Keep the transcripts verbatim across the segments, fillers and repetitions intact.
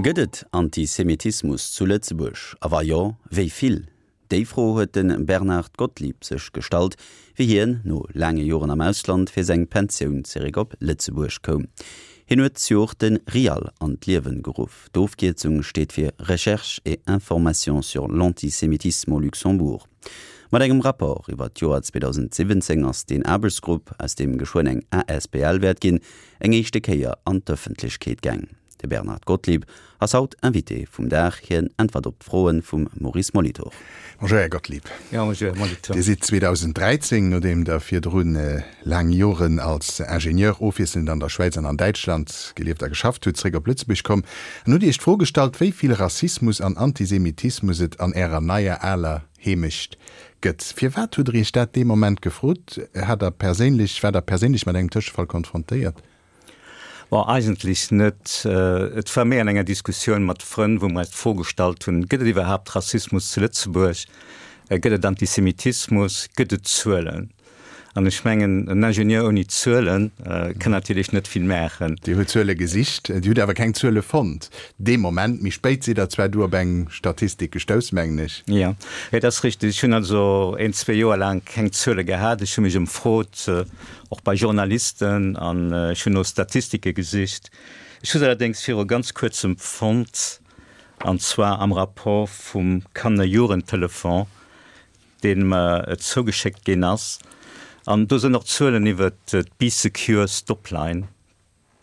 Gëtt et Antisemitismus zu Lëtzebuerg? A wa jo, wéi vill? Déi Fro huet de Bernard Gottlieb sech gestallt, wéi hien, no laange Joren am Ausland, fir seng Pensioun zeréck op Lëtzebuerg koum. Hien huet zejoert de RIAL an d'Liewen geruff. D'Ofkierzung steet fir Recherche et information sur l'antisémitisme au Luxembourg. Mat engem Rapport iwwer d'Joer zweedausendsiwwenzéng ass deen Aarbechtsgrupp, aus deem geschwënn eng asbl wäert ginn, eng éischte Kéier an d'Ëffentlechkeet gaang. De Bernard Gottlieb ass haut Invité vum Dag. Hien äntwert op d'Froe vum Maurice Molitor. Bonjour Här Gottlieb. Jo, bonjour Här Molitor. Dir sidd zweedausendräizéng, nodeem Der virdrun laang Joren als Ingenieur ofwiesselnd an der Schwäiz an an Däitschland gelieft a geschafft hutt, zréck op Lëtzebuerg komm an hutt Iech d'Fro gestallt, wéi vill Rassismus an Antisemitismus et an Ärer neier aler Heemecht gëtt. Firwat hutt Der Iech dat dee Moment gefrot? Hat Der perséinlech, waart Der perséinlech mat engem Tëschefall konfrontéiert? Bon, eigentlech net. Et war méi an enger Diskussioun mat Frënn, wou mer eis d'Fro gestallt hunn, Gëtt et iwwerhaapt Rassismus zu Lëtzebuerg? Gëtt et Antisemitismus? Gëtt et Zuelen? An ech mengen, en Ingenieur ouni Zuele kann natierlech net vill maachen. Dir hutt Zuele gesicht, Dir hutt awer keng Zuele fonnt dee Moment. Méi spéit sidd Der zwar du op eng Statistik gestouss, mengen ech. Jo, dat ass richteg. Ech hunn also een, zwee Joer laang keng Zuele gehat. Ech hu mech ëmfrot, och bei Journalisten, an ech hunn no Statistike gesicht. Ech hu se allerdéngs viru ganz Kuerzem fonnt, an zwar am Rapport vum Kanner-Jugendtelefon, dee mer zougeschéckt ginn ass. An do sënn och Zuelen iwwert d'Bee Secure Stopline,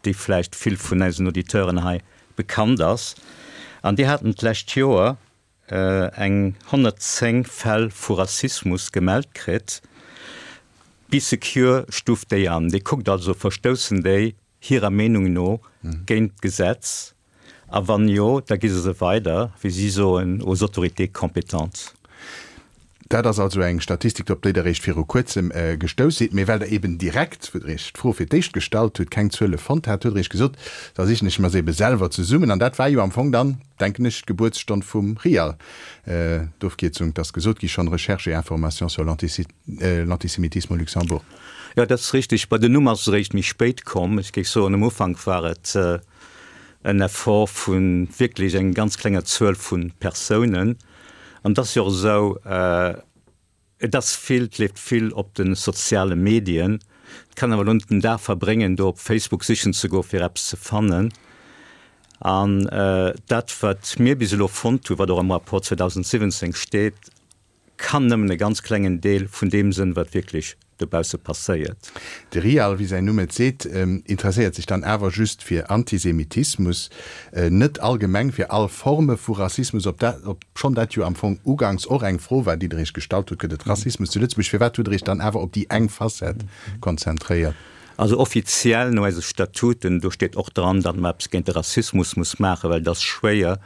déi vläicht vill vun eisen Auditeuren hei bekannt ass. An déi haten d'lescht Joer eng honnertzéng Fäll vu Rassismus gemellt kritt. Bee Secure stuuft déi an. Déi kuckt also, Verstoussen déi hirer Meenung no géint d'Gesetz? A wann jo, da gi se se weider, wéi si soen, aux autorités compétentes. Dat ass also eng Statistik, op déi Der eréischt viru Kuerzem gestouss sidd. Mee well Der eben direkt, wou Der Iech d'Fro fir d'éischt gestallt hutt, keng Zuele fonnt hat, hutt Der Iech gesot, da sichen ech mer se ebe selwer zesummen. An dat war jo am Fong dann, denken ech, d'Gebuertsstonn vum RIAL, d'Ofkierzung, 't ass gesot gi schonn, Recherche et information sur l'antisémitisme au Luxembourg. Jo, dat ass richtig. Bei den Numm ass et eréischt méi spéit komm. Ech géif soen, am Ufank war et en Effort vu wierklech eng ganz klenger Zuel vu Persounen. An et ass jo och esou, et ass vill, et leeft vill op de soziale Medien. Et kann awer elo net den Dag verbréngen, do op Facebook sichen ze goen, fir eppes ze fannen. An dat, wat mir bis elo fonnt hunn, wat och am Rapport zweedausendsiwwenzéng steet, kann nëmmen e ganz klengen Deel vun deem sënn, wat wierklech dobausse passéiert. De RIAL, wéi säin Numm et seet, interesséiert sech dann awer just fir Antisemitismus, net allgemeng fir all Forme vu Rassismus, ob dat, obschonn dat jo am Fong uganks och eng Fro war, déi Der Iech gestallt hutt, Gëtt et Rassismus zu Lëtzebuerg? Firwat hutt Der Iech dann awer op déi eng Facette konzentréiert? Also offiziell no eise Statuten, do steet och dran, datt mer eppes géint de Rassismus muss maachen, well et ass schwéier,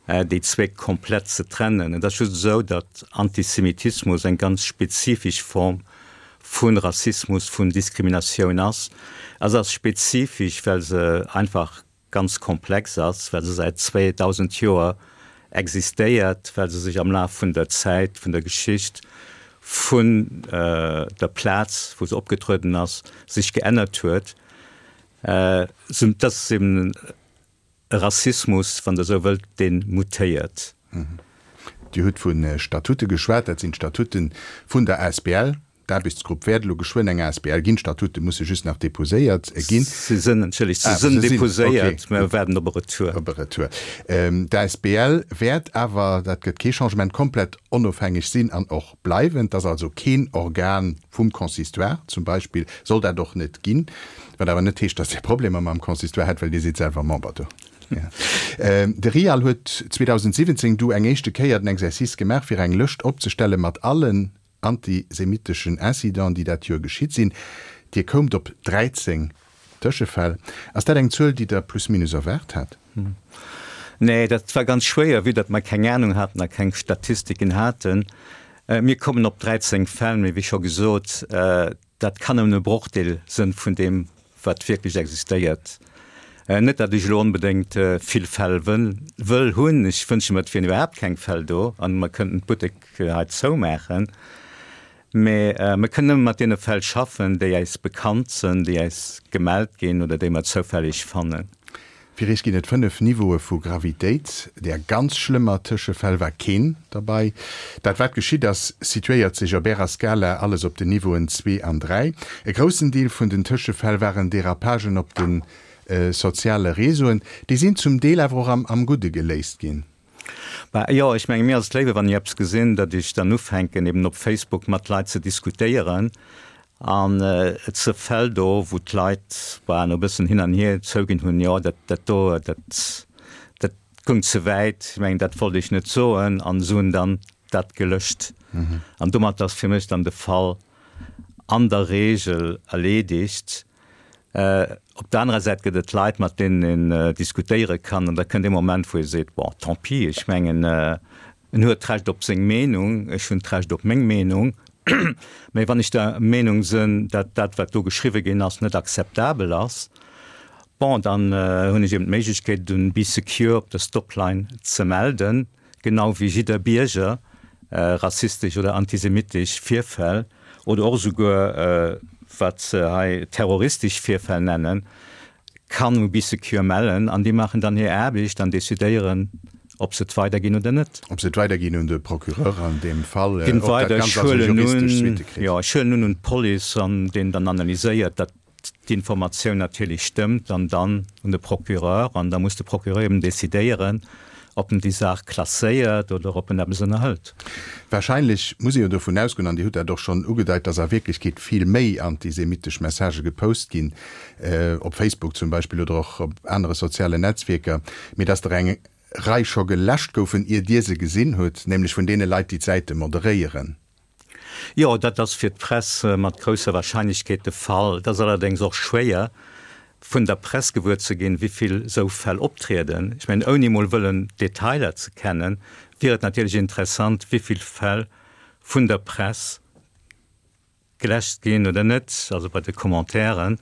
déi zwee komplett ze trennen. Et ass just esou, datt Antisemitismus eng ganz spezifesch Form vu Rassismus, vun Diskriminatioun ass. A se ass spezifesch, well se einfach ganz komplex ass, well se säit zweedausend Joer existéiert, well se sech am Laf vun der Zäit, vun der Geschicht, vun der Plaz, wou se opgetrueden ass, sech geännert huet. Et ass eben e Rassismus, wann Der esou wëllt, dee mutéiert. Dir hutt vu Statute geschwat. Dat sinn d'Statute vun der asbl. D'Aarbechtsgrupp wäert elo geschwënn eng asbl ginn. D'Statute musse just nach deposéiert ginn. Se sinn, entschëllegt, se sinn deposéiert. Mer waarden op e Retour. Op e Retour. D'asbl wäert awer, dat gëtt kee Changement, komplett onofhängeg sinn an och bleiwen. Et ass also keen Organ vum Consistoire zum Beispill, soll dat och net ginn. Wat awer net heescht, datt Dir Problemer mam Consistoire hätt, well Dir sidd selwer Member do. De RIAL huet zweedausendsiwwenzéng du eng éischte Kéier den Exercice gemaach, fir eng Lëscht opzestelle mat allen antisemitteschen Incidenten, déi dat Joer geschitt sinn. Dir koumt op dräizéng Tëschefäll. Ass dat eng Zuel, déi Der plus minus erwaart hat? Nee, dat war ganz schwéier, vue datt mer keng Anung haten a keng Statistiken haten. Mir kommen op dräizéng Fäll, mee wéi scho gesot, dat kann nëmmen e Brochdeel sënn vun deem, wat wierklech existéiert. Net, datt ech elo onbedéngt vill Fäll wëll hunn, ech wënsche mer, et wieren iwwerhaapt keng Fäll do an mer kënnten d'Buttek hei zoumaachen, mee mer kënnen nëmme mat deene Fäll schaffen, déi äis bekannt sënn, déi äis gemellt ginn oder déi mer zoufälleg fannen. Fir Iech ginn et fënnef Niveaue vu Gravitéit. Där ganz schlëmmer Tëschefäll war keen derbei. Dat wat geschitt ass, situéiert sech op Ärer Skala alles op den Niveauen zwee an dräi. E groussen Deel vun den Tëschefäll waren Derapagen op de soziale Réseauen. Déi sinn zum Deel awer och am am Gudde geléist ginn. Bah jo, ech menge mir ass et léiwer, wann ech eppes gesinn, datt ech dann ufänken eben op Facebook mat Leit ze diskutéieren. An et se Fäll do, wou d'Leit, bah, no e bëssen hin an hier zouginn hunn, jo, dat, dat do, dat, dat goung ze wäit, ech mengen, dat wollt ech net soen, an se hunn dann dat gelöscht. An domat ass fir mech dann de Fall an der Regel erledigt. Op der anerer Säit gëtt et Leit, mat deenen een diskutéiere kann, an da kënnt dee Moment, wou ee seet, bon, tant pis, ech mengen, en huet d'Recht op seng Meenung, ech hunn d'Recht op meng Meenung, mä wann ech der Meenung sinn, datt dat, wat do geschriwwe ginn ass, net akzeptabel ass, bon, dann hunn ech eben d'Méiglechkeet, un Bee Secure op der Stopline ze melden, genau wéi jidder Bierger rassistesch oder antisemitesch Virfäll oder och esouguer, wat se hei terroristesch Virfäll nennen, kann u Bee Secure mellen an déi maachen dann hir Aarbecht an decidéieren, ob se et weiderginn oder net. Ob se et weiderginn un de Procureur an deem Fall, ob dat Ganzt also juristesch Suitte kritt. Jo, ech huelen un un d'Police an deen dann analyséiert, datt d'Informatioun natierlech stëmmt an dann un de Procureur an da muss de Procureur eben decidéieren, ob en déi Saach klasséiert oder ob en eppes ënnerhëlt. Wahrscheinlech muss ee jo dovun ausgoen, an Dir hutt dat och schonn ugedeit, dass a Wierklechkeet vill méi antisemitesch Messagë gepost ginn, op Facebook zum Beispill oder och op anere sozialen Netzwierker, mee dass der eng Rei scho geläscht goufen, ier Dir se gesinn hutt, nämlech vun deene Leit, déi d'Säite moderéieren. Jo, dat ass fir d'Press mat grousser Wahrscheinlechkeet de Fall. Et ass allerdéngs och schwéier, vun der Press gewuer ze ginn, wéi vill esou Fäll optrieden. Ech mengen, ouni emol wëllen d'Detailer ze kennen, wier et natierlech interessant, wéi vill Fäll vun der Press geläscht ginn oder net, also bei de Commentairen.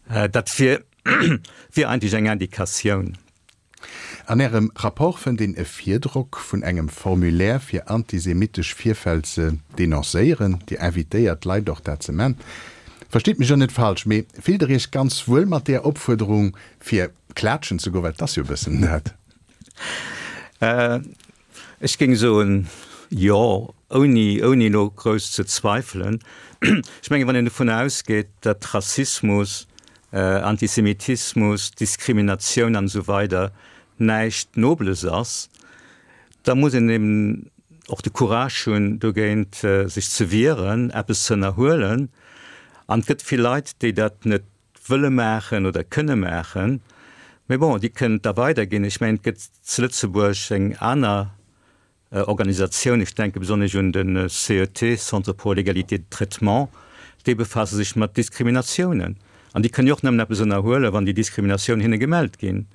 Dat wier, wier eigentlech eng Indikatioun. An Ärem Rapport fënnt een e Virdrock vun engem Formulaire fir antisemitesch Virfäll ze denoncéieren. Dir invitéiert d'Leit och dat ze man. Verstitt mech elo net falsch, mee fillt Der Iech ganz wuel mat där Opfuerderung fir klaatschen ze goen, well et ass jo e bëssen dat? Ech géing soen, jo, ouni, ouni elo grouss ze zweifelen. Ech mengen, wann een dovunner ausgeet, datt Rassismus, Antisemitismus, Diskriminatioun an esou weider näischt Nobles ass, da muss een eben och de Courage hunn, dogéint sech ze wieren, eppes ze ënnerhuelen. An et gëtt vill Leit, déi dat net wëlle maachen oder kënne maachen. Mee bon, déi kënnen et da weiderginn. Ech mengen, et gëtt zu Lëtzebuerg eng aner Organisatioun, ech denke besonnesch un de C E T, Centre pour l'égalité de traitement, déi befaasse sech mat Diskriminatiounen. An déi kënnen jo och nëmmen eppes ënnerhuelen, wann déi Diskriminatioun hinne gemellt ginn.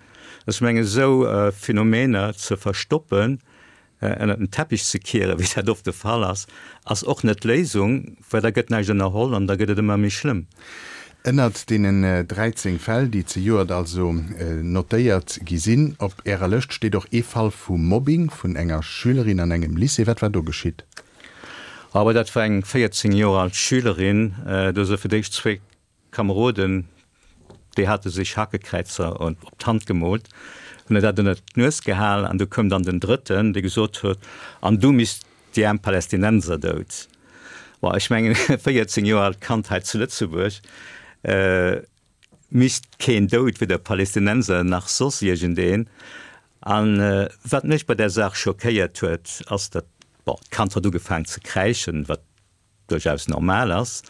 Ech mengen, esou Phänomener ze verstoppen, ënnert den Teppich ze kieren, wéi dat oft de Fall ass, ass och net d'Léisung, well da gëtt näischt ënnerholl an da gëtt et ëmmer méi schlëmm. Ënnert deenen dräizéng Fäll, déi zejoert also notéiert gi sinn op Ärer Lëscht, steet och ee Fall vu Mobbing vun enger Schülerin an engem Lycée. Wat war do geschitt? Awer dat war eng véierzéng Joer al Schülerin. Do si fir d'éischt zwee Kameroden, déi hate sech Hakekräizer op d'Hand gemoolt, hunn der dat ënnert d'Nues gehal an du koum dann den Drëtten, dee gesot huet, An du misst déi aarm Palästinenser dout. Bon, ech mengen, e véierzéng Joer aalt Kand hei zu Lëtzebuerg misst keen dout, weder Palästinenser nach soss iergendeen. A wat mech bei där Saach schockéiert huet, ass, datt, bon, d'Kand huet ugefaangen ze kräischen, wat duerchaus normal ass.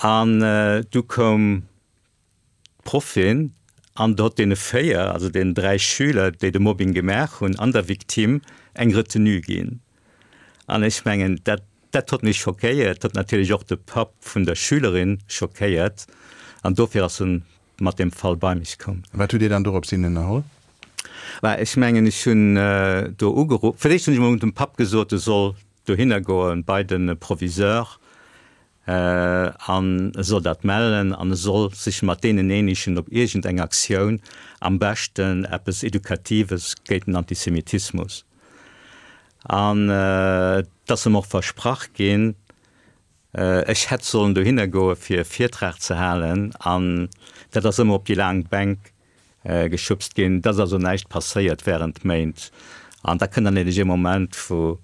An du koum d'Proffin an hott deene véier, also deenen dräi Schüler, déi de Mobbing gemaach hunn, an der Victime eng Retenue ginn. An ech mengen, dat, dat hott mech schockéiert, hott natierlech och de Papp vun der Schülerin schockéiert an dofir ass en mat deem Fall bei mech komm. Wat hutt Dir dann dorops hin ënnerholl? Bah, ech mengen, ech hunn do ugeruff. Fir d'éischt hunn ech emol dem Papp gesot, e soll dohinner goen bei de Proviseur an e soll dat mellen an e soll sech mat deenen eenegen op iergend eng Aktioun, am beschten eppes Edukatives géint den Antisemitismus. An et ass em och versprach ginn, ech hätt sollen dohinner goe fir e Virtrag ze halen an dat ass ëmmer op déi laang Bänk geschubst ginn. Et ass also näischt passéiert während Méint. An da kënnt dann natierlech ee Moment, wou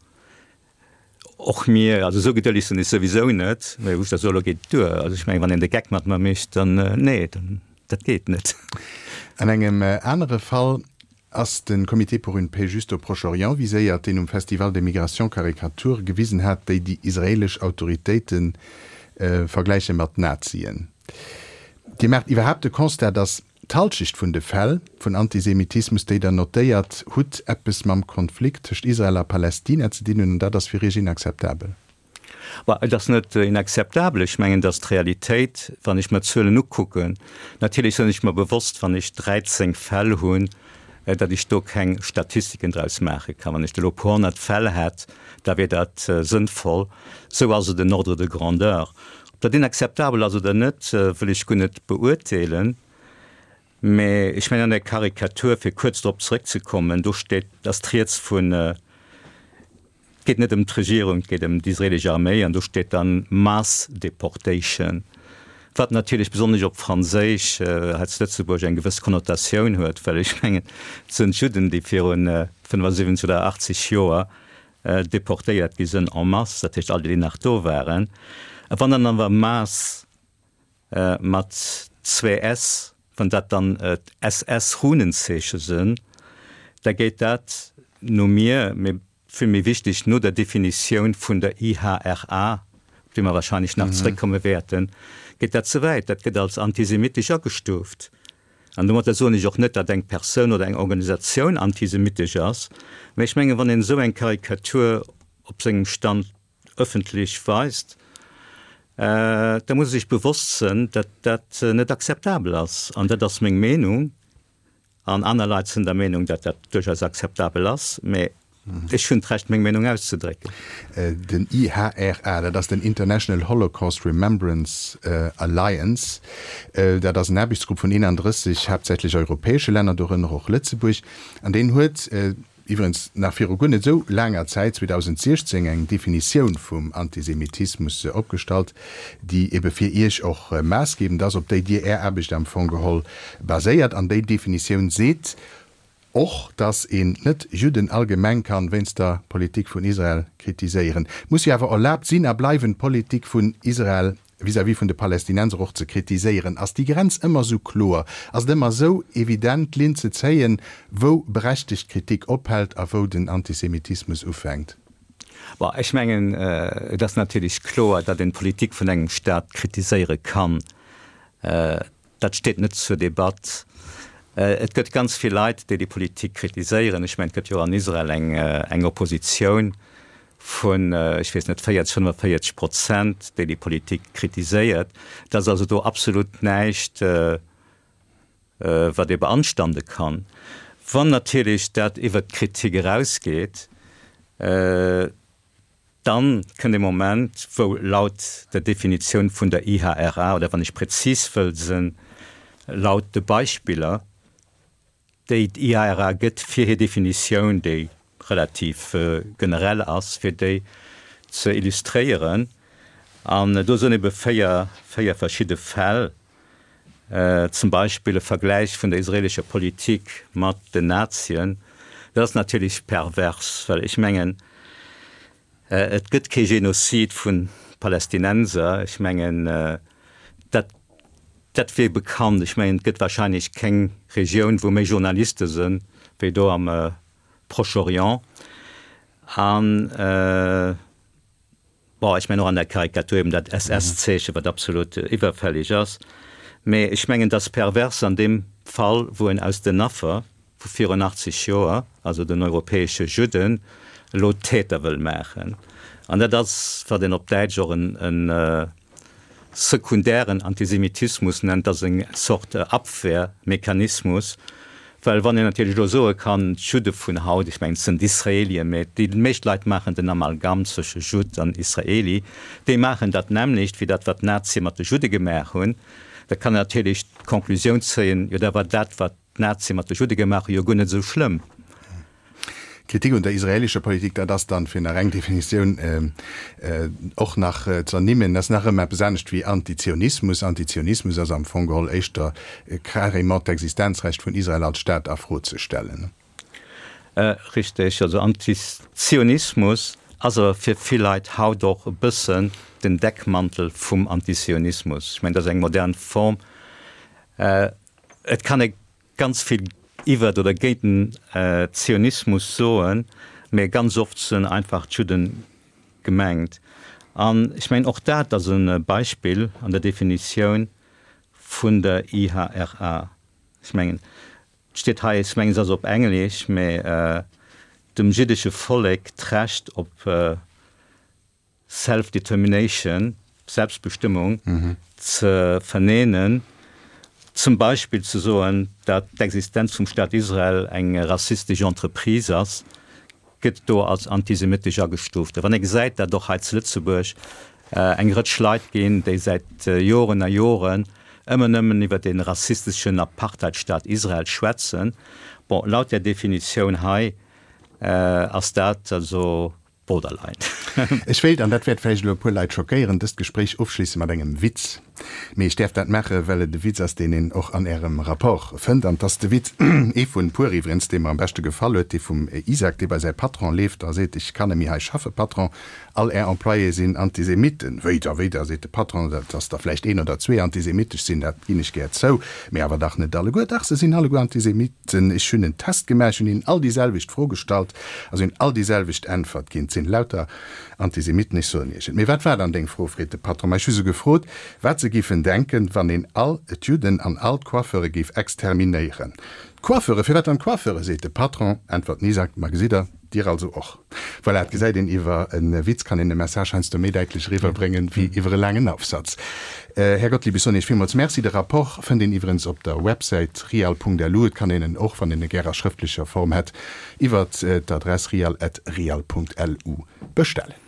och mir, also esou gedëlleg sinn ech souwisou net, mä wou ech da soen, elo geet et duer. Also ech mengen, wann een de Geck mat mer mécht, dann, nee, dann, dat geet net. An engem anere Fall ass de Comité pour une paix juste au Proche-Orient viséiert, deen um Festival des Migrations Karikature gewisen hat, déi déi israeelesch Autoritéite vergläiche mat Nazien. Dir maacht iwwerhaapt de Constat, datt d'Halschecht vun de Fäll vun Antisemitismus, déi Der notéiert hutt, eppes mam Konflikt tëscht Israel a Palästina ze dinn hunn, an dat ass fir Iech inakzeptabel? Bah, et ass net inakzeptabel. Ech mengen, et ass d'Realitéit, wann ech mer d'Zuelen ukucken. Natierlech sinn ech mer bewosst, wann ech dräizéng Fäll hunn, datt ech do keng Statistiken draus maache kann. Wann ech elo e puer honnert Fäll hätt, da wier dat sënnvoll. Esou ass et en Ordre de grandeur. Ob dat inakzeptabel ass oder net, wëll ech guer net beurteelen. Mä ech mengen, an der Karikatur, fir kuerz drop zrëckzekommen, do steet, ass d'Rieds vun, et geet net ëm d'Regierung, et geet ëm d'israelesch Arméi, an do steet dann mass deportation, wat natierlech besonnesch op Franséisch hei zu Lëtzebuerg eng gewëss Konnotatioun huet, well ech mengen, et sinn d'Judden, déi viru fënnefasiwwenzeg oder achtzeg Joer deportéiert gi sinn en masse, dat heescht all déi, déi nach do waren. A wann dann awer mass mat zwee s, wann dat dann d'S S-Runenzeeche sinn, da geet dat no mir, mee vill méi wichteg, no der Definitioun vun der I H R A, op déi mer wahrscheinlech nach zréckkomme wäerten, geet dat ze wäit. Dat gëtt als antisemitesch agestuuft. An domatter soen ech och net, datt eng Persoun oder eng Organisatioun antisemitesch ass, mä ech mengen, wann een esou eng Karikatur op sengem Stand ëffentlech weist, da muss ee sech bewosst sënn, datt dat net akzeptabel ass. An dat ass meng Meenung. An aner Leit sinn der Meenung, datt dat duerchaus akzeptabel ass, mä ech hunn d'Recht, meng Meenung auszedrécken. Den I H R A, dat ass den International Holocaust Remembrance Alliance. Dat ass en Aarbechtsgrupp vun eenandrësseg haaptsächlech europäesche Länner, dorënner och Lëtzebuerg. An deen huet iwwerens nach viru guer net esou laanger Zäit, zweedausendsiechzéng, eng Definitioun vum Antisemitismus opgestallt, déi ebe fir Iech och maassgebend ass, op déi Dir Är Aarbecht am Fong geholl baséiert. An déi Definitioun seet och, dass een Net-Judden allgemeng kann wéinst der Politik vun Israel kritiséieren. Muss jo awer erlaabt sinn a bleiwen, d'Politik vun Israel vis-à-vis vun de Palästinenser och ze kritiséieren. Ass déi Grenz ëmmer esou kloer? Ass et ëmmer esou evident, d'Linn ze zéien, wou berechtegt Kritik ophält a wou den Antisemitismus ufänkt? Bon, ech mengen, et ass natierlech kloer, datt een d'Politik vun engem Staat kritiséiere kann. Dat steet net zur Debatt. Et gëtt ganz vill Leit, déi déi Politik kritiséieren. Ech mengen, et gëtt jo an Israel eng, eng Oppositioun vun, ech weess net, véierzeg, fënnefenvéierzeg Prozent, déi déi Politik kritiséiert. Et ass also do absolut näischt, wat ee beanstande kann. Wann natierlech dat iwwert d'Kritik erausgeet, Dann kënnt e Moment, wou laut der Definitioun vun der I H R A, oder wann ech prezis wëll sinn, laut de Beispiller, déi d'I H R A gëtt fir hir Definitioun, déi relativ generell ass, fir déi ze illustréieren, an do sinn ebe véier, véier verschidde Fäll, zum Beispill e Vergläich vun der israelescher Politik mat den Nazien, dat ass natierlech pervers, well ech mengen, et gëtt kee Genozid vu Palästinenser, ech mengen, dat, dat wier bekannt. Ech mengen, et gëtt wahrscheinlech keng Regioun, wou méi Journaliste sinn, wéi do am Proche-Orient. An Bon, ech mengen och an der Karikatur eben dat S S-Zeechen, wat absolut iwwerfällig ass. Mee ech mengen, et ass pervers an deem Fall, wou en aus den Affer vu virun achtzeg Joer, also den europäesche Judden, elo d'Täter wëll maachen. An dat ass, wat een op Däitsch och en sekundären Antisemitismus nennt, dat ass eng Zort Abwehrmechanismus, Well wann een natierlech elo soe kann, d'Judde vun haut, ech mengen, et sinn d'Israelien, mä déi meescht Leit maachen den Amalgam zwësche Judd an Israeli, déi maachen dat nämmlecht wéi dat, wat d'Nazie mat de Judde gemaach hunn, da kann een natierlech d'Conclusioun zéien, jo da war dat, wat d'Nazie mat de Judde gemaach hunn, jo guer net esou schlëmm. Kritik un der israelischer Politik, dat ass dann, fir nach eng Definitioun och nach ze ernimmen, dat ass nach ëmmer eppes anescht wéi Antizionismus. Antizionismus ass am Fong geholl éischter carrément d'Existenzrecht vun Israel als Staat a Fro ze stellen. Richteg, also Antizionismus ass awer fir vill Leit haut och e bëssen den Deckmantel vum Antizionismus. Ech mengen, dat ass eng modern Form. Et kann ee ganz vill iwwert oder géint den Zionismus soen, mä ganz oft sinn einfach d'Judden gemengt. An ech mengen, och dat ass e Beispill an der Definitioun vun der I H R A. Ech mengen, et steet hei, ech mengen, se ass op Englesch, mä dem jiddesche Vollek d'Recht op Self-Determination, Selbstbestimmung, ze verneinen, zum Beispill ze soen, datt d'Existenz vum Staat Israel eng rassistesch Entreprise ass, gëtt do als antisemitesch agestuuft. A wann ee gesäit, datt och hei zu Lëtzebuerg eng Rëtsch Leit ginn, déi säit Joren a Joren ëmmer nëmmen iwwer dee rassisteschen Apartheidstaat Israel schwätzen, bon, laut där Definitioun hei ass dat also borderline. Ech wéilt, an dat wäert vläicht elo e puer Leit schockéieren, dëst Gespréich ofschliessen mat engem Witz. Mee ech däerf dat maachen, well et e Witz ass, deen een och an Ärem Rapport fënnt. An 't ass de Witz, ee vun puer iwwregens, dee mer am beschte gefall huet, dee vum Isaac, dee bei säi Patron leeft a seet, Ech kann neméi hei schaffen, Patron, all Är Employéë sinn Antisemitten. Wéi da, wéi da, seet de Patron, dat ass der vläicht een oder zwee antisemitesch sinn, dat ginn ech gär zou, mee awer dach net alleguer. Dach, se sinn alleguer Antisemitten. Ech hunn en Test gemaach, ech hunn hinnen all déi selwecht Fro gestallt a se hunn all déi selwecht Äntwert ginn. Et sinn lauter Antisemitten, ech soen Iech et. Mee wat war dann deng Fro? Freet de Patron. Ma ech hu se gefrot, wat se géifen denken, wann een all d'Judden an all d'Coiffeure géif exterminéieren. D'Coiffeure? Firwat dann d'Coiffeure? Seet de Patron. Äntwert den Isaac, Ma gesitt Der, Dir also och. Voilà, et gesäit een, iwwer e Witz kann een e Message heiansdo méi däitlech eriwwerbréngen, wéi iwwer e laangen Aufsatz. Här Gottlieb, ech soen Iech villmools Merci. De Rapport fënnt een iwwerens op der Websäit rial Punkt L U. Et kann een en och, wann een e gär a schrëftlecher Form hätt, iwwer d'Adress rial at rial Punkt L U bestellen.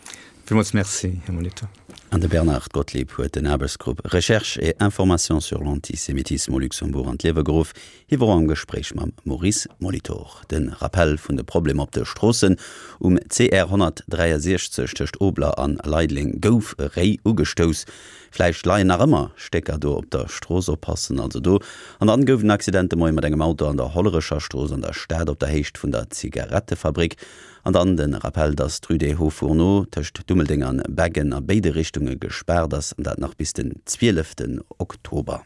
Villmools Merci, Här Molitor. An de Bernard Gottlieb huet den Aarbechtsgrupp Recherche et information sur l'antisémitisme au Luxembourg an d'Liewe geruff. Hie wor am Gespréich mam Maurice Molitor. De Rappell vun de Problemer op de Stroossen: Um C R honnertdräiasechzeg tëscht Obler an Leideleng gouf e Réi ugestouss. Vläicht leien nach ëmmer Stécker do op der Strooss, oppassen also do. An dann gouf en Accident de Moie mat engem Auto an der Hollerecher Strooss an der Stad op der Héicht vun der Zigarettefabrik. An dann de Rappell, dass d'Rue des Hauts-Fourneaux tëscht Dummeldeng an Beggen a béide Richtunge gespaart ass, an dat nach bis den zwieleften Oktober.